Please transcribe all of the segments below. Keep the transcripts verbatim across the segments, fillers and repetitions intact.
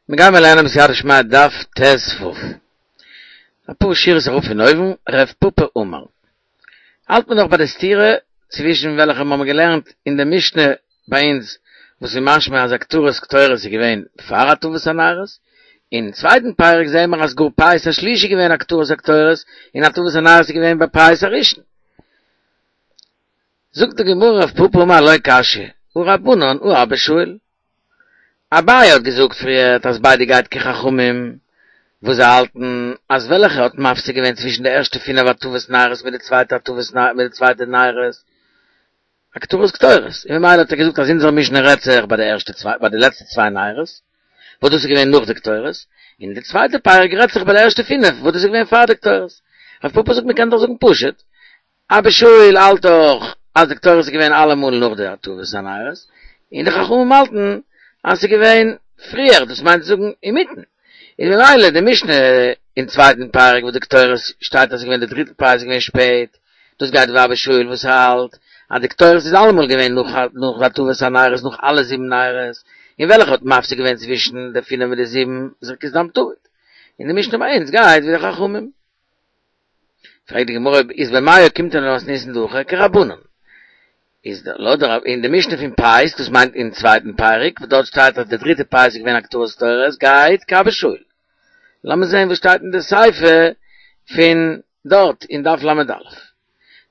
מיר גיימער לערנען בסייעתא דשמיא דף ט"ו. אפאר שורות אראפ פון אויבן, רב פפא אמר. האלט מען נאך ביי די סתירה צווישן וועלכע מיר האבן געלערנט אין די משנה ביי אונז וואס איז משמע אז הקטרת קטורת איז געווען פאר הטבת הנרות, אין צווייטן פרק זעהן מיר אז גאר פייס השלישי איז געווען הקטרת הקטורת און הטבת הנרות איז געווען ביי פייס הראשון. זאגט די גמרא רב פפא אמר לא קשיא, הא רבנן הא אבא שאול. אביי האט געזאגט פריערט אז ביידע גייט כחכמים וואס זיי האלטן אז וועלכע האט מפסיק געווען צווישן די ערשטע פינף הטבת נרות מיט די צווייטע הטבת מיט די צווייטע נרות הקטרת קטורת און ממילא האט ער געזאגט אז אונזער משנה רעדט זיך ביי די ערשטע צוויי ביי די לעצטע צוויי נרות וואס דאס איז געווען נאך די קטורת און די צווייטע פרק רעדט זיך ביי די ערשטע פינף וואס דאס איז געווען פאר די קטורת רב פפא זאגט מען קען דאך זאגן פשוט אבא שאול האלט דאך אז די קטורת איז געווען אלעמאל נאך די הטבת הנרות און די חכמים האלטן אז ס'איז געווען פריער, דאס מיינט צו זאגן אינמיטן. איז ממילא די משנה אין צווייטן פרק וואס די קטורת שטייט אז ס'איז געווען די דריטע פרק איז געווען שפעט, דאס גייט ווי אבא שאול וואס האלט אז די קטורת איז אלעמאל געווען נאך נאך הטבת הנרות נאך אלע זיבן נרות, און וועלכע האט מפסיק געווען צווישן די פינף מיט די זיבן זריקת דם תמיד. און די משנה ביי אונז גייט ווי די חכמים. פרעגט די גמרא איז במאי אוקימתא למתניתין דהכא כרבנן. איז דער לויט דער אין די משנה פון פייס דאס מיינט אין צווייטן פרק וואס דארט שטייט אז די דריטע פייס איז געווען הקטרת קטורת גייט כאבא שאול. לאמיר זען וואס שטייט אין די סיפא פון דארט אין דף ל"א.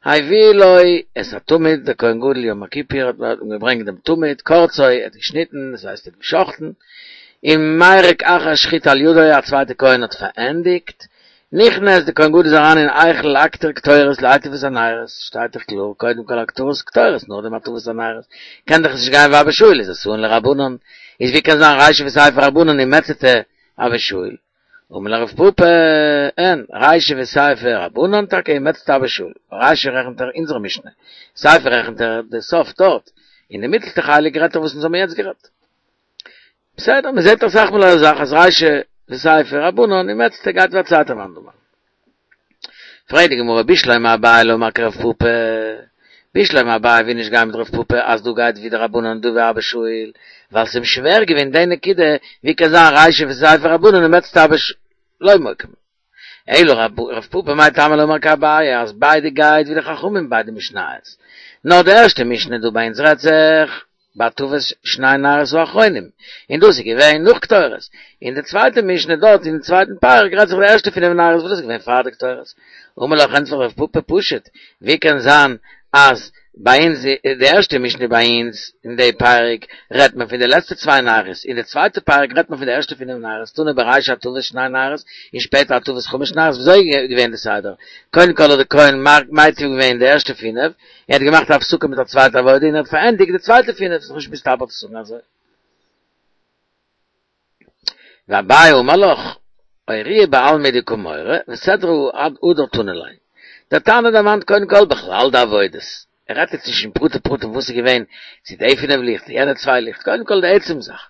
הביאו לו את התמיד דער כהן גדול יום הכיפור האט מען געברענגט דעם תמיד קרצו ער האט געשניטן דאס הייסט ער האט געשחטן און מרק אחר שחיטה על ידו א צווייטע כהן האט פארענדיגט נכנס די כהן גדול איז אריין אין היכל להקטיר קטורת להיטיב את הנרות, שטייט דאך קלאר קודם כל הקטרת קטורת נאכדעם הטבת הנרות, קען דאך נישט גיין ווי אבא שאול איז אתאן לרבנן, איז ווי קען זיין רישא וסיפא רבנן ומציעתא אבא שאול? אמר לך רב פפא, אין, רישא וסיפא רבנן טאקע ומציעתא אבא שאול, רישא רעכנט ער אונזער משנה, סיפא רעכנט ער די סוף דארט, און די מיטלסטע חלק רעדט ער וואס אונז האבן יעצט גערעדט. בסדר, מען זעט אסאך מאל אזא זאך אז רישא וסיפא רבנן ומציעתא גייט ווי א צווייטע מאן דאמר. פרעגט די גמרא בשלמא אביי לא אמר כרב פפא, בשלמא אביי וויל נישט גיין מיט רב פפא אז דא גייט ווי די רבנן און דא ווי אבא שאול, ווייל ס'איז אים שווער געווען די נקודה ווי קען זיין רישא וסיפא רבנן ומציעתא אבא שאול לא מוקמ. אלא רב פפא מאי טעמא לא אמר כאביי אז ביידע גייט ווי די חכמים ביידע משניות, נאר די ערשטע משנה דא ביי אונז רעדט זיך בהטבת שני נרות האחרונים, און דאס איז געווען נאך קטורת, און די צווייטע משנה דארט אין צווייטן פרק רעדט זיך די ערשטע פינף נרות וואס דאס איז געווען פאר די קטורת. אמר לך ענטפערט רב פפא פשוט, ווי קען זיין אז ביי אונז די ערשטע משנה ביי אונז אין די פרק רעדט מען פון די לעצטע צוויי נרות, אין די צווייטע פרק רעדט מען פון די ערשטע פינף נרות, תנא ברישא הטבת שני נרות און שפעטער הטבת חמש נרות, וויאזוי איז געווען די סדר? קודם כל האט די כהן מטיב געווען די ערשטע פינף, ער האט געמאכט א הפסקה מיט א צווייטע עבודה און ער האט פארענדיגט די צווייטע פינף, ס'איז נישט מסתבר צו זאגן אזוי. ואביי אמר לך, אורויי בעלמא הוא דקא מורה, וסדרא הדר תנא ליה. דער תנא דערמאנט קודם כל בכלל די עבודות, ער רעדט יעצט נישט אין פרטי פרטים וואס איז געווען, צו די פינף ליכט, צו יענע צוויי ליכט, קודם כל די עצם זאך.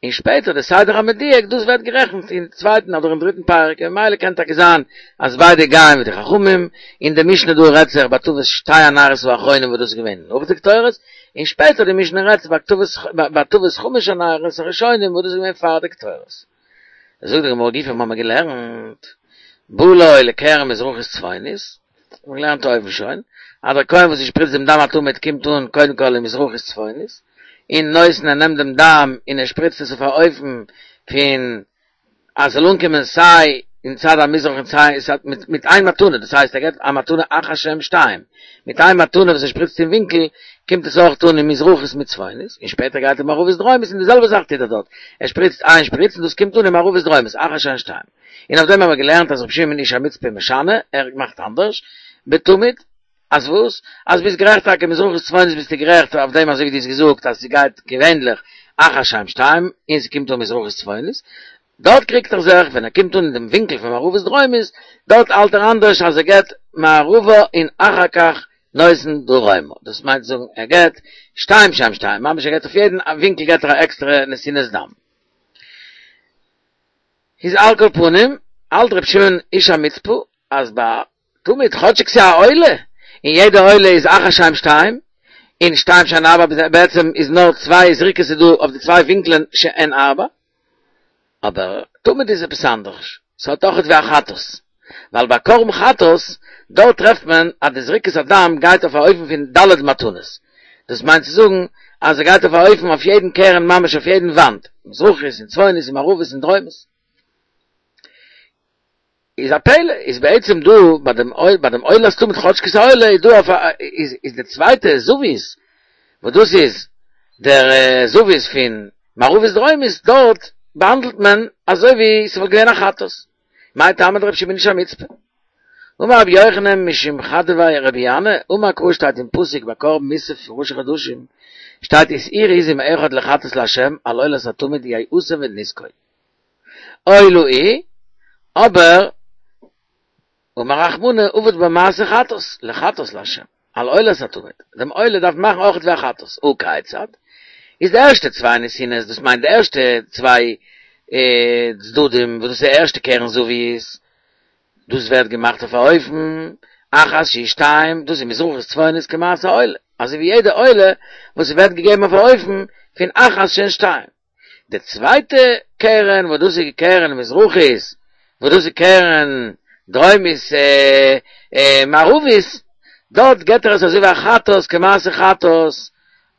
און שפעטער די סדר המדויק, דאס ווערט גערעכנט אין צווייטן אדער אין דריטן פרק, און ממילא קען טאקע זיין אז ביידע גייען מיט די חכמים, און די משנה דא רעדט זיך בהטבת שתי הנרות האחרונים וואס דאס איז געווען נאך די קטורת, און שפעטער די משנה רעדט בהטבת חמש הנרות הראשונים וואס דאס איז געווען פאר די קטורת. זאגט די גמרא גופא האבן מיר געלערנט בא לו לקרן מזרחית צפונית, האט מען געלערנט אויבן שוין, אז דער כהן וואס שפריצט דעם דם התמיד קומט אן קודם כל אין מזרחית צפונית, און נותן ער נעמט דעם דם און ער שפריצט עס אויף א אופן פון אז ס'זאל אנקומען סיי אין צד המזרח און סיי מיט איין מתנה, דאס הייסט ער געבט א מתנה אחת שהן שתיים, מיט איין מתנה וואס ער שפריצט אין ווינקל קומט עס אויך אן אין מזרחית מיט צפונית, און שפעטער גייט ער מערבית דרומית און די זעלבע זאך טוט ער דארט, ער שפריצט איין שפריץ און דאס קומט אן אין מערבית דרומית אחת שהן שתיים. און אויף דעם האבן מיר געלערנט אז רבי שמעון איש המצפה משנה, ער מאכט אנדערש, בתמיד, אז וואס? אז ביסט גערעכט טאקע מזרחית צפונית ביסטו גערעכט אויף דעם אזוי ווי דו האסט געזאגט אז ס'גייט געווענליך אחת שהן שתיים און ס'קומט אן מזרחית צפונית, דארט קריגט ער זיך ווען ער קומט אן אין דעם ווינקל פון מערבית דרומית, דארט האלט ער אנדערש אז ער געבט מערבה און אחר כך נותן דרומה, דאס מיינט צו זאגן ער געבט שתיים שהן שתיים, ממש ער געבט אויף יעדן ווינקל געבט ער א עקסטערע נתינת דם. איז על כל פנים האלט ר' שמעון איש המצפה אז ביי תמיד כאטשיג ס'איז א עולה, און יעדע עולה איז אחת שהן שתיים, און שתיים שהן ארבע בעצם איז נאר צוויי זריקות איז דא אויף די צוויי ווינקלען שהן ארבע, אבער תמיד איז עפעס אנדערש, ס'האט אויכעט ווי א חטאת, ווייל ביי קרבן חטאת, דארט טרעפט מען אז די זריקת הדם גייט אויף א אופן פון ד' מתנות, דאס מיינט צו זאגן אז ער גייט אויף א אופן אויף יעדן קרן ממש אויף יעדן וואנט, מזרחית און צפונית און מערבית און דרומית. איז א פלא, איז בעצם דא ביי דעם אויל, ביי דעם עולת תמיד כאטשיג ס'איז א עולה איז דא אויף א, איז איז די צווייטע זווית, וואס דאס איז דער זווית פון מערבית דרומית, דארט באהאנדלט מען אזוי ווי ס'וואלט געווען א חטאת. מאי טעמא דרבי שמעון איש המצפה? אמר רבי יוחנן משום חדויה רבי ינאי, אמר קרא שטייט אין פסוק ביי קרבן מוסף פון ראשי חדשים, שטייט ושעיר עזים אחד לחטאת לה' על עולת התמיד יעשה נסכו. עולה היא, אבער אמר רחמנא עביד בה מעשה חטאת, לחטאת לה', על עולת התמיד, דעם עולה דארף מען מאכן אויכעט ווי א חטאת, הא כיצד? איז די ערשטע צוויי נתינות, דאס מיינט די ערשטע צוויי צדדים וואס דאס איז די ערשטע קרן זווית, דאס ווערט געמאכט אויף א אופן, אחת שהיא שתיים, דאס איז מזרחית צפונית כמעשה עולה, אזוי ווי יעדע עולה וואס ווערט געגעבן אויף א אופן פון אחת שהן שתיים. די צווייטע קרן וואס דאס איז קרן מזרחית, וואס דאס איז קרן דרומית מערבית, דארט געבט ער עס אזוי ווי א חטאת כמעשה חטאת,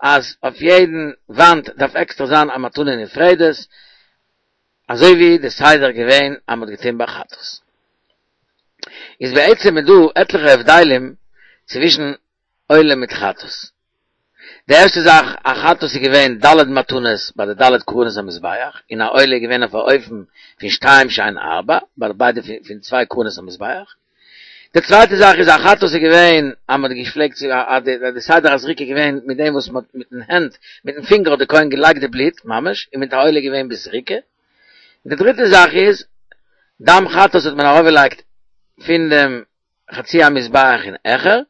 אז אויף יעדן וואנט דארף עקסטער זיין א מתנה נפרדת, אזוי ווי די סדר געווען אז מ'האט געטון ביי חטאת. איז בעצם איז דא עטליכע הבדלים צווישן עולה מיט חטאת. די ערשטע זאך, א חטאת איז געווען ד' מתנות ביי די ד' קרנות המזבח, און א עולה איז געווען אויף א אופן פון שתיים שהן ארבע, ביי ביידע פון צוויי קרנות המזבח. די צווייטע זאך איז א חטאת איז געווען אז מען האט געפלעגט צו אז די סדר הזריקה איז געווען מיט דעם וואס מען האט מיטן הענט מיטן פינגער האט די כהן געלייגט די בלוט ממש, און מיט א עולה איז געווען בזריקה. די דריטע זאך איז, דם חטאת האט מען ארויפגעלייגט פון דעם חצי המזבח און העכער,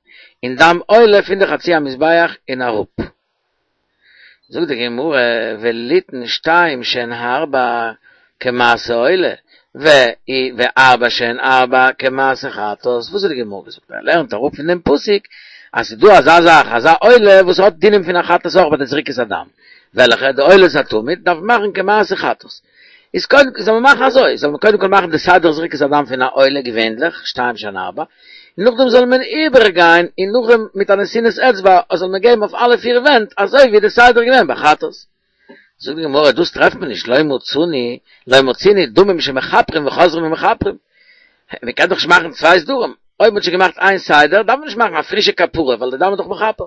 און דם עולה פון די חצי המזבח און אראפ. זאגט די גמרא, וליתן שתיים שהן ארבע כמעשה עולה, וארבע שהן ארבע כמעשה חטאת, וואס האט די גמרא געזאגט? ער לערנט אראפ פון דעם פסוק אז ס'איז דא אזא זאך, אזא עולה וואס האט דינים פון א חטאת אויך ביי די זריקת הדם, וועלכע די עולת התמיד דארף מען מאכן כמעשה חטאת. איז קודם זאל מען מאכן אזוי, זאל מען קודם כל מאכן די סדר זריקת הדם פון א עולה געווענליך, שתיים שהן ארבע, און נאכדעם זאל מען איבערגיין און נאכדעם מיט א נתינת אצבע זאל מען געבן אויף אלע פיר ווענט אזוי ווי די סדר געווען ביי חטאת. זאגט די גמרא דאס טרעפט מען נישט, לא מצינו, לא מצינו דמים שמכפרים וחוזרים ומכפרים, מען קען דאך נישט מאכן צוויי סדרים, אויב מען האט שוין געמאכט איין סדר דארף מען נישט מאכן א פרישע כפרה ווייל די דם איז דאך מכפר.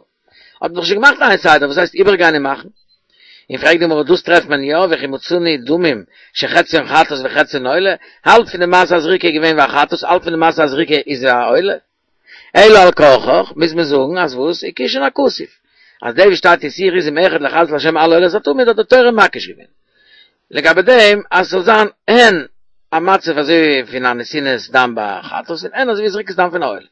האט מען דאך שוין געמאכט איין סדר, וואס הייסט איבערגיין און מאכן? און פרעגט די גמרא דאס טרעפט מען יא, וכי מצינו דמים שחציין חטאת וחציין עולה, האלב פון די מעשה הזריקה איז געווען ווי א חטאת, האלב פון די מעשה הזריקה איז ווי א עולה. אלא על כרחך מוז מען זאגן אז וואס? הקישן הכתוב, אז דאס וואס שטייט ושעיר עזים אחד לחטאת להשם על עולת התמיד האט די תורה מקיש געווען לגבי דעם אז ס'זאל זיין הן א מצב אזוי ווי פון א נתינת דם ביי חטאת און הן אזוי ווי זריקת דם פון א עולה.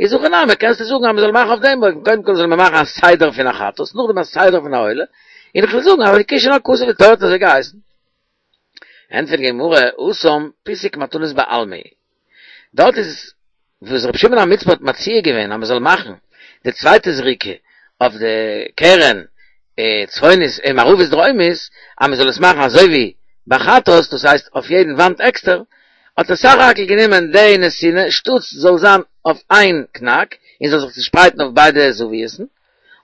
איז הכי נמי קענסטו זאגן אז מ'זאל מאכן אויף דעם אופן, קודם כל זאל מען מאכן א סדר פון א חטאת, נאכדעם א סדר פון א עולה, און איך וועל זאגן אז הקישן הכתוב די תורה האט אזוי געהייסן. ענטפערט די גמרא, התם פיסוק מתנות בעלמא דארט איז וואס רבי שמעון המצפי האט מציע געווען אז מ'זאל מאכן די צווייטע זריקה אויף די קרן צפונית און מערבית דרומית, אז מ'זאל עס מאכן אזוי ווי ביי חטאת, דאס הייסט אויף יעדן וואנט עקסטער, האט ער סך הכל גענומען די נתינה שטאטס זאל זיין אויף איין קנאק און זאל זיך צושפרייטן אויף ביידע זוויות'ן,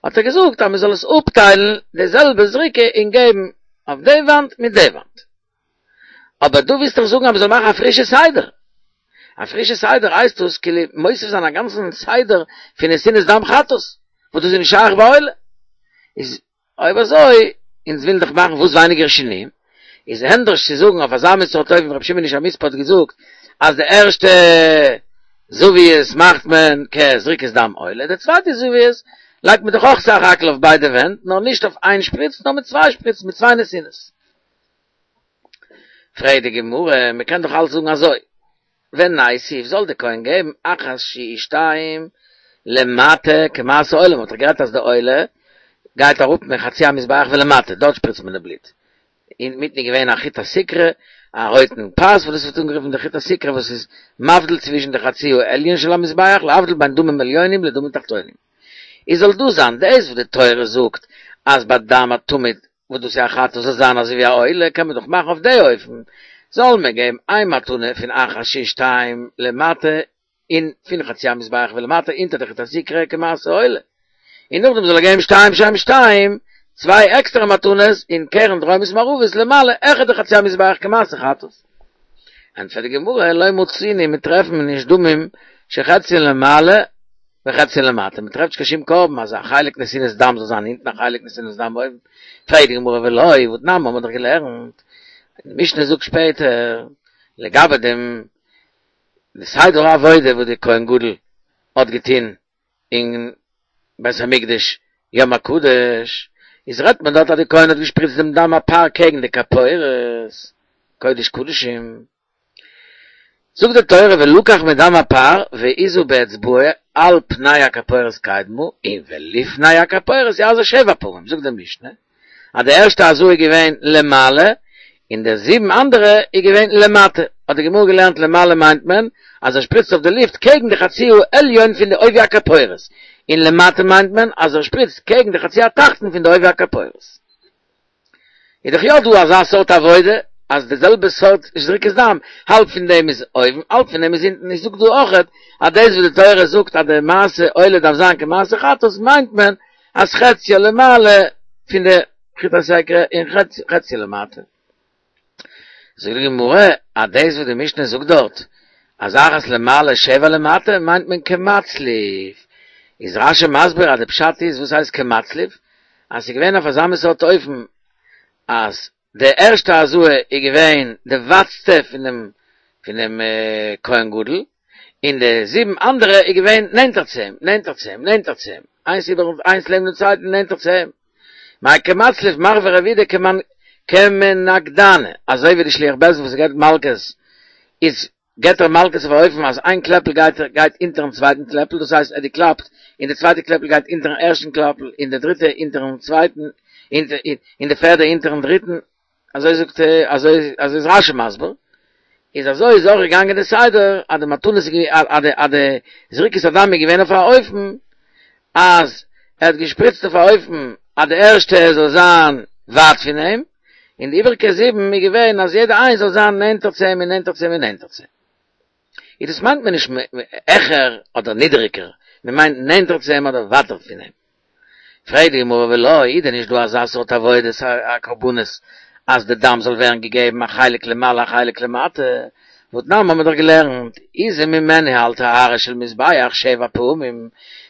האט ער געזאגט אז מ'זאל עס אפטיילן די זעלבע זריקה און געבן אויף די וואנט מיט די וואנט. אבער דו ווילסט דאך זאגן אז מ'זאל מאכן א פרישע סדר. א פרישע סדר הייסט דאס כאילו מוסיף זיין א גאנצן סדר פון נתינת דם חטאת, וואס דאס איז נישט שייך ביי עולה. איז אויב אזוי, אונז ווילן דאך מאכן וואס ווייניגער שינויים, איז ענדערש צו זאגן אויף אזא מין סארט אופן ווי רבי שמעון איש המצפי האט געזאגט אז די ערשטע זוויות מאכט מען כזריקת דם עולה, די צווייטע זוויות לייגט מען דאך אויך סך הכל אויף ביידע ווענט, נאר נישט אויף איין שפריץ נאר מיט צוויי שפריצן, מיט צוויי נתינות. פרעגט די גמרא, מען קען דאך אלץ זאגן אזוי, וניתיב זאל די כהן געבן אחת שהיא שתיים למטה כמעשה עולה, מען האט דאך גערעדט אז די עולה גייט אראפ מחצי המזבח ולמטה, דארט שפריצט מען די בלוט, אינמיטן איז געווען א חוט הסיקרא, א רויטן פאס וואס דאס ווערט אנגערופן די חוט הסיקרא וואס איז מבדיל צווישן די חצי העליון של המזבח להבדיל בין דמים עליונים לדמים תחתונים. איז זאל דאס זיין דאס וואס די תורה זאגט אז ביי דם התמיד וואס דאס איז א חטאת זאל זיין אזוי ווי א עולה, קען מען דאך מאכן אויף די אופן, זאל מען געבן איין מתנה פון אחת שהיא שתיים למטה אין פון חצי המזבח ולמטה אונטער די חוט הסיקרא כמעשה עולה, און נאכדעם זאל ער געבן שתיים שהם שתיים, צוויי עקסטערע מתנות אין קרן דרומית מערבית למעלה העכער די חצי המזבח כמעשה חטאת. ענטפערט די גמרא, לא מצינו, מיר טרעפן נישט דמים שחציין למעלה וחציין למטה, מען טרעפט נישט קיין שום קרבן אז א חלק נתינת דם זאל זיין אונטן א חלק נתינת דם אויבן, פרעגט די גמרא ולא, והתנן האבן מיר דאך געלערנט, די משנה זאגט שפעטער לגבי דעם די סדר העבודה וואס די כהן גדול האט געטון אין בית המקדש יום הקדוש, איז רעדט מען דארט אז די כהן האט געשפריצט דעם דם הפר קעגן די כפורת, קודש קדשים, זאגט די תורה ולקח מדם הפר והזה באצבעו על פני הכפורת קדמה און ולפני הכפורת יזה שבע פעמים, זאגט די משנה אז די ערשטע הזאה איז געווען למעלה און די זיבן אנדערע איז געווען למטה, האט די גמרא געלערנט למעלה מיינט מען אז ער שפריצט אויף די לופט קעגן די חצי העליון פון די עובי הכפורת, און למטה מיינט מען אז ער שפריצט קעגן די חצי התחתון פון די עובי הכפורת. איז דאך יא דא אזא סארט עבודה אז די זעלבע סארט זריקת דם, האלב פון דעם איז אויבן האלב פון דעם איז אונטן, איך זאג דא אויכעט אז דאס וואס די תורה זאגט אז די מעשה עולה דארף זיין כמעשה חטאת מיינט מען אז חציה למעלה פון די חוט הסיקרא און חציה למטה. זאגט די גמרא אז דאס וואס די משנה זאגט דארט אז אחת למעלה שבע למטה מיינט מען כמצליף, איז רשי מסביר אז די פשט איז וואס הייסט כמצליף, אז ס'איז געווען אויף אזא מין סארט אופן אז די ערשטע הזאה איז געווען די ווייטסטע פון דעם פון דעם כהן גדול, און די זיבן אנדערע איז געווען נענטער צו אים, נענטער צו אים, נענטער צו אים, איינס איבער איינס לעבן דעם צווייטן נענטער צו אים. מאי כמצליף מרבה רב יהודה כמנקדנא, אזוי ווי די שליח בית דין וואס געבט מלקות איז געבט ער מלקות אויף א אופן אז איין קלעפל גייט גייט אונטערן צווייטן קלעפל, דאס הייסט ער דערקלאפט און די צווייטע קלעפל גייט אונטערן ערשטן קלעפל און די דריטע אונטערן צווייטן און די פערדע אונטערן דריטן, אזוי זאגט אזוי אזוי איז רשי מסביר, איז אזוי איז אויך געגאנגען די סדר אז די מתנות איז אז די אז די זריקת הדם איז געווען אויף א אופן אז ער האט געשפריצט אויף א אופן אז די ערשטע זאל זיין ווייט פון אים, און די איבעריגע זיבן איז געווען אז יעדע איינס זאל זיין נענטער צו אים און נענטער צו אים און נענטער צו אים. איז דאס מיינט מען נישט העכער אדער נידעריגער, מען מיינט נענטער צו אים אדער ווייטער פון אים. פרעגט די גמרא ולא, איז דען נישט דא אזא סארט עבודת הקרבנות אז די דם זאל ווערן געגעבן א חלק למעלה א חלק למטה, והתנן האבן מיר דאך געלערנט, הזה ממנו על טהרו של מזבח שבע פעמים,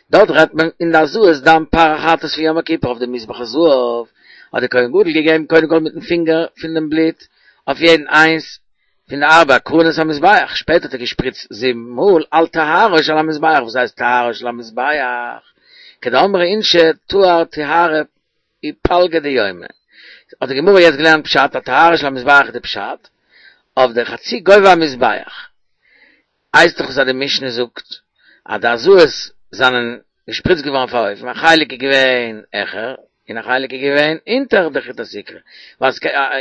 דארט רעדט מען אין די הזאת דם פר החטאת פון יום הכיפור אויף די מזבח הזהב, האט דער כהן גדול געגעבן קודם כל מיטן פינגער פון דעם בלוט אויף יעדן איינס פון די ארבע קרנות המזבח, שפעטער האט ער געשפריצט זיבן מאל על טהרו של המזבח, וואס הייסט טהרו של המזבח? כדאמרי אינשי טהר טיהרא ופלגא דיומא, האט די גמרא יעצט געלערנט פשט אז טהרו של המזבח איז די פשט אויף די חצי גובה המזבח, הייסט דאך אז די משנה זאגט אז די הזאת זענען געשפריצט געווארן אויף א אופן, א חלק איז געווען העכער און א חלק איז געווען אונטער די חוט הסיקרא, ווייל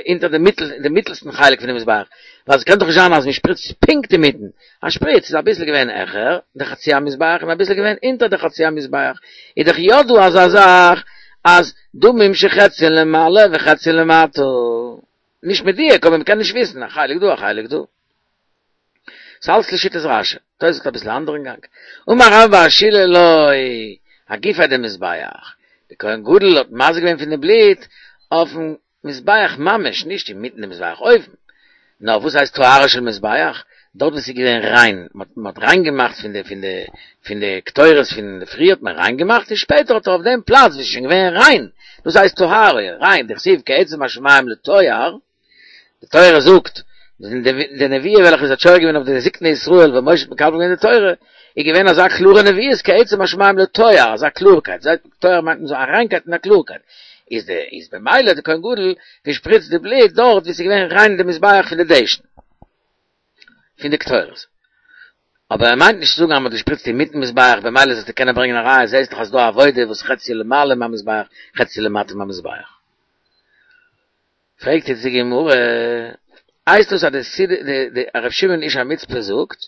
אונטער די מיטל די מיטלסטן חלק פון די מזבח, ווייל ס'קען דאך נישט זיין אז מ'שפריצט פונקט אינמיטן, א שפריץ איז אביסל געווען העכער די חצי המזבח און אביסל געווען אונטער די חצי המזבח, איז דאך יא דא אזא זאך אז דמים שחציין למעלה וחציין למטה, נישט מדויק אבער מ'קען נישט וויסן, א חלק דא א חלק דא. ס'אלץ לשיטת רשי. תוס' האט אביסל א אנדערן גאנג. אמר רבה בר שילא לא, אגופיה דמזבח. די כהן גדול האט מזה געווען פון די בלוט אויפן מזבח ממש, נישט אינמיטן די מזבח אויבן. נאר וואס הייסט טהרה של מזבח? דארט וואו ס'איז געווען ריין, מ'האט ריין געמאכט פון די פון די פון די קטורת פון די פריער האט מען ריין געמאכט און שפעטער האט ער אויף דעם פלאץ וואו ס'איז שוין געווען ריין, דאס הייסט טהרה, ריין, דכתיב כעצם השמים לטוהר, די תורה זאגט, די נבואה וועלכע איז האט שורה געווען אויף די זקני ישראל ווען משה האט מקבל געווען די תורה, איז געווען אזא קלארע נביאות כעצם השמים לטוהר, אזא קלארקייט, זייט טוהר מיינט מען זאל א ריינקייט און א קלארקייט, איז די איז במילא האט די כהן גדול געשפריצט די בלוט דארט וואו ס'איז געווען ריין די מזבח פון די דשן, פון די קטורת. אבער ער מיינט נישט צו זאגן אז מ'האט געשפריצט אינמיטן מזבח, במילא זאלסטו קענען ברענגען א ראיה, זעסט דאך אז ס'דא א עבודה וואס חצי למעלה מהמזבח חצי למטה מהמזבח. פרעגט יעצט די גמרא, הייסט דאס אז די די ר' שמעון איש המצפה זאגט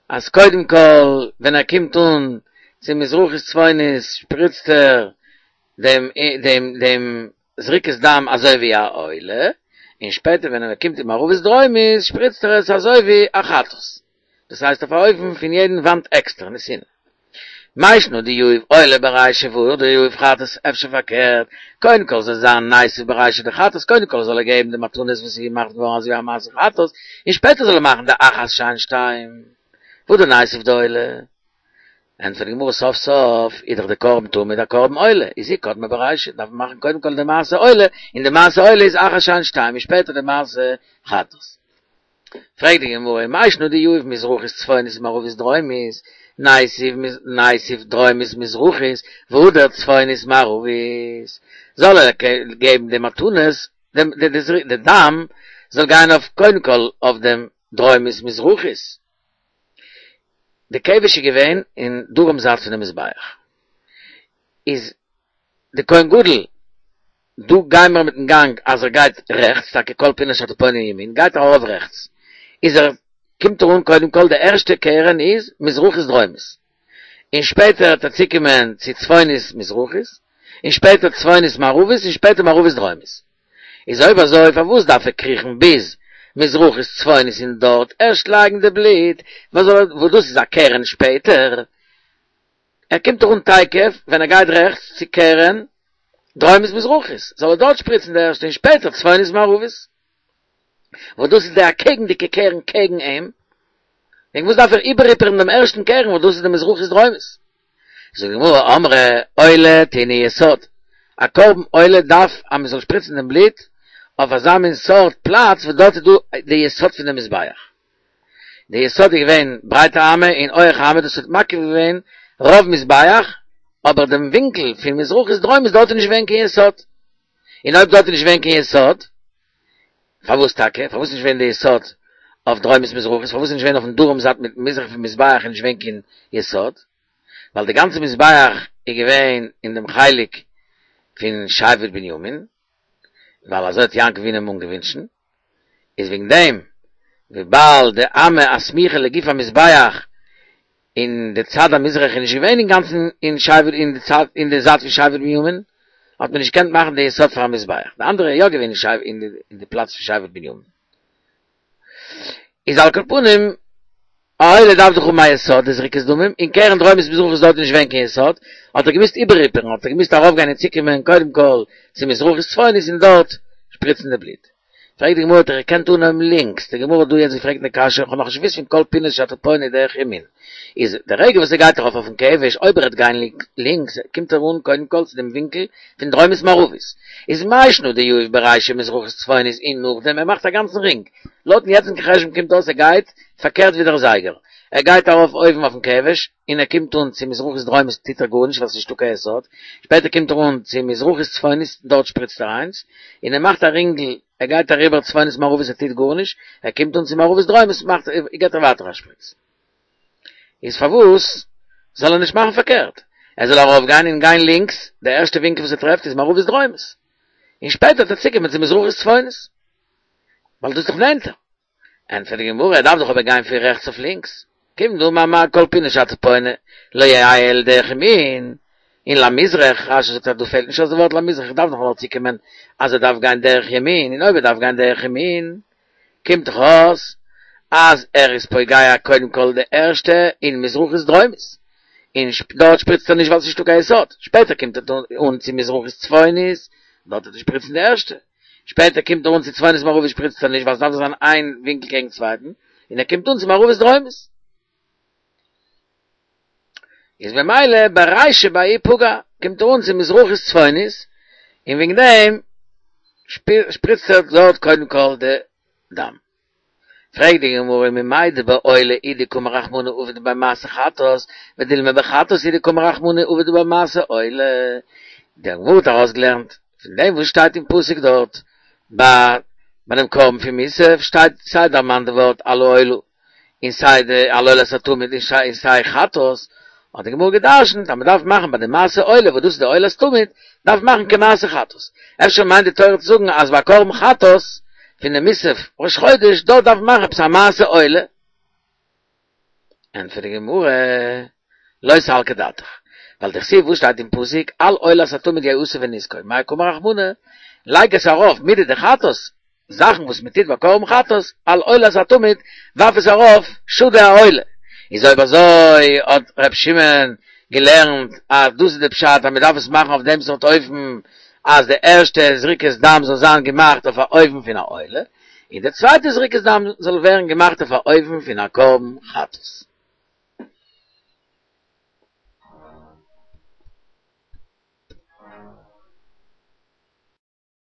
אז קודם כל ווען ער קומט אן צו מזרחית צפונית שפריצט ער דעם דעם דעם זריקת דם אזוי ווי א עולה, און שפעטער ווען ער קומט אין מערבית דרומית שפריצט ער עס אזוי ווי א חטאת. דאס הייסט אויף א אופן פון יעדן וואנט עקסטער, נתינה. מאי שנא דיהיב עולה ברישא והדר יהיב חטאת, אפשר פארקערט, קודם כל זאל זיין ניתיב ברישא דחטאת, קודם כל זאל ער געבן די מתנות וואס איז געמאכט געווארן אזוי ווי א מעשה חטאת, און שפעטער זאל ער מאכן די אחת שהן שתיים. והדר ניתיב דעולה. ענטפערט די גמרא סוף סוף איז דאך די קרבן תמיד א קרבן עולה, איז היא קדמה ברישא, דארף מען מאכן קודם כל די מעשה עולה, און די מעשה עולה איז אחת שהן שתיים, און שפעטער די מעשה חטאת. פרעגט די גמרא, מאי שנא דיהיב מזרחית צפונית ומערבית דרומית, ניתיב ניתיב דרומית מזרחית, והדר צפונית מערבית, זאל ער געבן די מתנות, די דם זאל גיין אויף קודם כל אויף דעם דרומית מזרחית. די כבש איז געווען אין דרום זייט פונעם מזבח, איז די כהן גדול, דא גיימער מיטן גאנג אז ער גייט רעכטס, טאקע כל פינה שאתה פונה ימין, גייט ער ארויף רעכטס, איז ער קומט ער אן קודם כל די ערשטע קרן איז מזרחית דרומית, און שפעטער וועט ער צוקומען צו צפונית מזרחית, און שפעטער צפונית מערבית, און שפעטער מערבית דרומית. איז אויב אזוי פארוואס דארף ער קריכן ביז מזרחית צפונית און דארט ערשט לייגן די בלוט, וואס דאס איז א קרן שפעטער? ער קומט דאך אן תיכף ווען ער גייט רעכטס צו קרן דרומית מזרחית, זאל ער דארט שפריצן די ערשטע און שפעטער צפונית מערבית, וואס דאס איז די אקעגנדיגע קרן קעגן אים, וועגן וואס דארף ער איבערהיפערן דעם ערשטן קרן וואס דאס איז די מזרחית דרומית? זאגט די גמרא, אמרי עולה טעונה יסוד, א קרבן עולה דארף אז מען זאל שפריצן דעם בלוט אויף אזא מין סארט פלאץ וואס דארט איז דא די יסוד פון דעם מזבח. די יסוד איז געווען ברייט א אמה און הויעך א אמה, דאס האט מקיף געווען רוב מזבח, אבער דעם ווינקל פון מזרחית דרומית דארט איז נישט געווען קיין יסוד. און אויב דארט איז נישט געווען קיין יסוד, פארוואס טאקע? פארוואס איז נישט געווען די יסוד אויף דרומית מזרחית? פארוואס איז נישט געווען אויפן דרום זייט מיט מזרח פון מזבח איז נישט געווען קיין יסוד? ווייל די גאנצע מזבח איז געווען אין דעם חלק פון שבט בנימין, ווייל אזוי האט יעקב אבינו אים אנגעווינטשן, איז וועגן דעם וויבאלד די אמה הסמוכה לגוף המזבח אין די צד המזרח איז נישט געווען אינגאנצן אין שבט אין די צד אין די זייט פון שבט בנימין, האט מען נישט געקענט מאכן די יסוד פאר א מזבח, די אנדערע איז יא געווען אין שבט אין די פלאץ פון שבט בנימין. איז על כל פנים, א עולה דארף דאך האבן א יסוד, די זריקת דמים, און קרן דרומית מזרחית איז דארט נישט געווען קיין יסוד, האט ער געמוזט איבערהיפערן, האט ער געמוזט ארויפגיין און צוקומען קודם כל צו מזרחית צפונית און דארט שפריצן די בלוט. פרעגט די גמרא האט ער געקענט אנהויבן לינקס, די גמרא האט דא יעצט געפרעגט די קשיא, איך האב נאכנישט געוואוסט פון כל פינות שאתה פונה דרך ימין, איז די רגע וואס ער גייט ארויף אויפן כבש, אויב ער וועט גיין לינקס קומט ער אן קודם כל צו דעם ווינקל פון דרומית מערבית, איז מאי שנא דיהיב ברישא מזרחית צפונית און נאכדעם ער מאכט א גאנצן רינג, לויטן יעצטיגן חשבון קומט אויס ער גייט פארקערט ווי דער זייגער, ער גייט ארויף אויבן אויפן כבש און ער קומט אן צו מזרחית דרומית טוט ער גארנישט ווייל ס'איז נישטא קיין יסוד, שפעטער קומט ער אן צו מזרחית צפונית דארט שפריצט ער איינס, און ער מאכט א רינגל, ער גייט אריבער צפונית מערבית ער טוט גארנישט, ער קומט אן צו מערבית דרומית מאכט געט ער ווייטער א שפריץ. איז פארוואס זאל ער נישט מאכן פארקערט? ער זאל ארויף גיין און גיין לינקס, די ערשטע ווינקל וואס ער טרעפט איז מערבית דרומית, און שפעטער וועט ער צוקומען צו מזרחית צפונית, ווייל דאס איז דאך נענטער. ענטפערט די גמרא, ער דארף דאך אבער גיין פון רעכטס אויף לינקס, כיון דאמר מר כל פינה שאתה פונה לא יהא אלא דרך ימין, און למזרח, רשי זאגט אז דא פעלט נישט אויס די ווארט למזרח, איך דארף נאך נאר צוקומען אז ער דארף גיין דרך ימין, און אויב ער דארף גיין דרך ימין, קומט דאך אויס אז ער איז פוגע קודם כל די ערשטע אין מזרחית דרומית, און דארט שפריצט ער נישט ווייל ס'איז נישטא קיין יסוד, שפעטער קומט ער אן צו מזרחית צפונית, דארט וועט ער שפריצן די ערשטע, שפעטער קומט ער אן צו צפונית מערבית שפריצט ער נישט ווייל ס'דארף זיין איין ווינקל קעגן צווייטן, און ער קומט אן צו מערבית דרומית. איז במילא ברישא בההיא פגע קומט ער אן צו מזרחית צפונית, און וועגן דעם שפריצט ער דארט קודם כל די דם. פרעגט די גמרא ממאי דבעולה הוא דקאמר רחמנא עביד ביה מעשה חטאת, ודילמא בחטאת הוא דקאמר רחמנא עביד ביה מעשה עולה. די גמרא האט ארויסגעלערנט פון דעם וואס שטייט אין פסוק דארט ביי ביי דעם קרבן פון מוסף שטייט סיי דערמאנט די ווארט על העולה און סיי די על עולת התמיד און סיי חטאת, האט די גמרא גע'דרש'נט אז מען דארף מאכן ביי די מעשה עולה וואס דאס איז די עולת תמיד, דארף מאכן כמעשה חטאת. אפשר מיינט די תורה צו זאגן אז ביי קרבן חטאת פון די מוסף ראש חודש דארט דארף מען מאכן עפעס א מעשה עולה. ענטפערט די גמרא, לא סלקא דעתך, ווייל דכתיב וואס שטייט אין פסוק על עולת התמיד יעשה נסכו מאי קאמר רחמנא לייג עס ארויף מידי דחטאת זאכן וואס מען טוט ביי קרבן חטאת על עולת התמיד ווארף עס ארויף שדי העולה איז אויב אזוי האט ר' שמעון געלערנט אז דאס איז די פשט אז מען דארף עס מאכן אויף דעם סארט אופן אז די ערשטע זריקת דם זאל זיין געמאכט אויף א אופן פון א עולה און די צווייטע זריקת דם זאל ווערן געמאכט אויף א אופן פון א קרבן חטאת.